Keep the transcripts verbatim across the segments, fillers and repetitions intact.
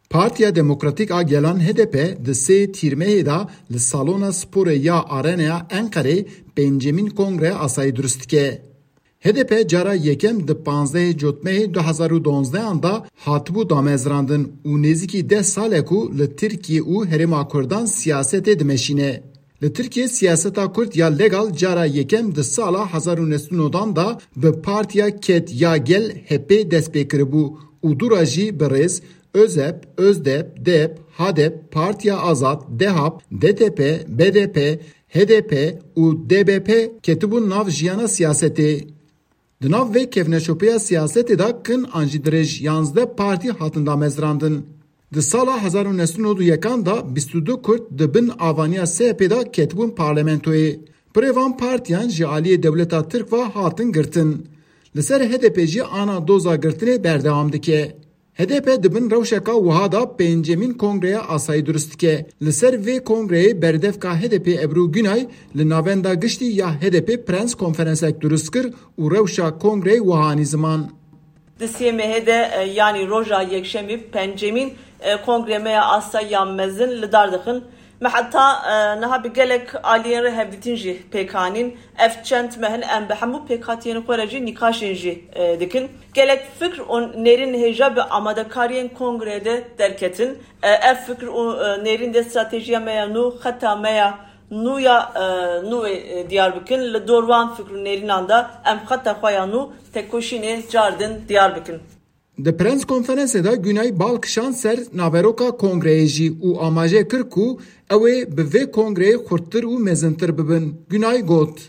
Partiya Demokratîk a Gelan H D P di sê Tîrmehê de li salona sporê ya Arenaya Enqerê pêncemîn kongreya asayî durust dike. H D P cara yekem di panzdehê Cotmehê du hezar û donzdehan de hatibû damezrandin û nêzîkî deh sal e ku li Tirkiye û Herêma Kurdan siyasetê dimeşîne. Li Tirkiye siyaseta Kurd ya legal cara yekem di sala hezar û neh sed û newdan de bi partiya Ked ya Gel, H P, dest pê kiribû û dûra jî bi rêz ÖZEP, ÖZDEP, DEP, HADEP, Partiya Azad, DEHAP, DTP, BDP, HDP û DBP ketibûn nav jiyana siyasetê. Di nav vê kevneşopeya siyasetê de kin an jî dirêj yanzdeh partî hatin damezrandin. Di sala hezar û neh sed û nod û yekan de bîst û du Kurd di bin avaniya S H P'ê de ketibûn parlamentoyê. Pirê van partiyan ji aliyê dewleta Tirk ve hatin girtin. Li ser H D P jî ana doza girtinê berdewam dike. H D P di bin rewşeka wiha de pêncemîn kongreya asayî durust dike. Li ser vê kongreyê berdevka H D P Ebru Günay li Navenda Giştî ya H D P prens konferensek durust kir û rewşa kongreyê wiha anî ziman. Di sê mehê de, e, yanî roja yekşemî, pencemîn, e, kongre me ya asayî ya mezin li dar dixin. Me heta, e, niha bi gelek aliyên re hevdîtin jî pêk anîn. Ev çend meh in em bi hemû pêkhatiyên xwe re jî nîqaşên jî, e, dikin. Gelek fikr û nêrîn hêja bi amadekariyên kongreyê de derketin. E, ev fikr û, e, nêrîn de stratejiya me ya nû, xeta me ya nû ya, e, nû wê, e, diyar bikin. Li dor wan fikr û nêrînan de em xeta xwe ya nû tekoşînê cardin diyar bikin. Di prens konferansê de Günay bal kişand ser naveroka kongreyê jî û amaje kir ku ew ê bi vê kongreyê xurttir û mezintir bibin. Günay got.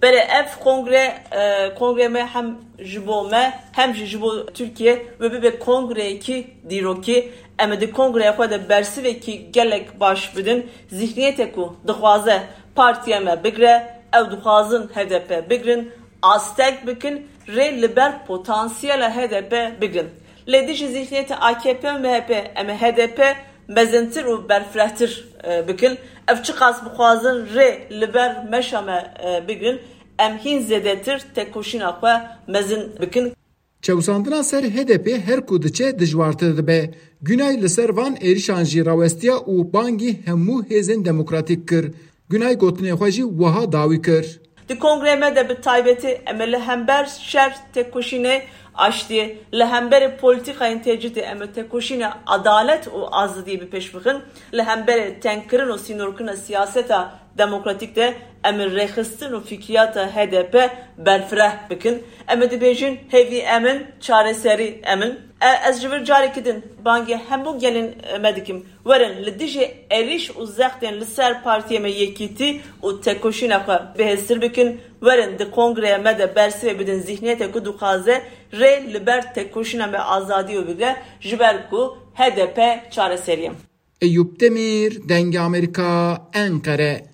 Belê ev kongre, e, kongre me hem ji bo me hem jî ji bo Tirkiye wê bibe kongreyekî dîrokî. Em ê di kongreya xwe de bersivekî gelek baş bidin. Zihniyetê ku dixwaze partiya me bigre, ew dixwazin H D P bigrin, astek bikin, rê li ber potansiyela H D P bigrin. Lê dijî zihniyeta A K P û M H P em ê H D P mezintir û berfirehtir, e, bikin. Ev çiqas bixwazin rê li ber meşa me, e, bigrin, em hîn zêdetir tekoşîna xwe mezin bikin. Çewsandina ser H D P her ku diçe dijwartir dibe. Günay li ser van êrişan jî rawestiya û bangî hemû hêzên demokratîk kir. Günay gotinê xwe jî wiha dawî kir. Di kongrê me de bi taybetî em ê li hember şer tekoşînê aştiyê, li hemberê polîtîkayên tecrîdê em ê tekoşînê edalet û azadiyê bi pêş bixin, li hemberê tengkirin û sînorkirina siyaseta demokratîk de em ê rêxistin û fikriyata H D P berfireh bikin. Em ê dibêjin hêvî em in, çareserî em in. E, ez ji vir carekî din bangê hemû gelên me dikim. Werin li dijî êrîş û zextên li ser partiyê me yekîtî û tekoşîna xwe bihêztir bikin. Werin di kongreya me de bersivê bidin zihniyetê ku dixwaze rê li ber tekoşîna me azadî û bigre, ji ber ku H D P çareserî ye. Eyûp Demîr, Dengê Amerîka, Enqere.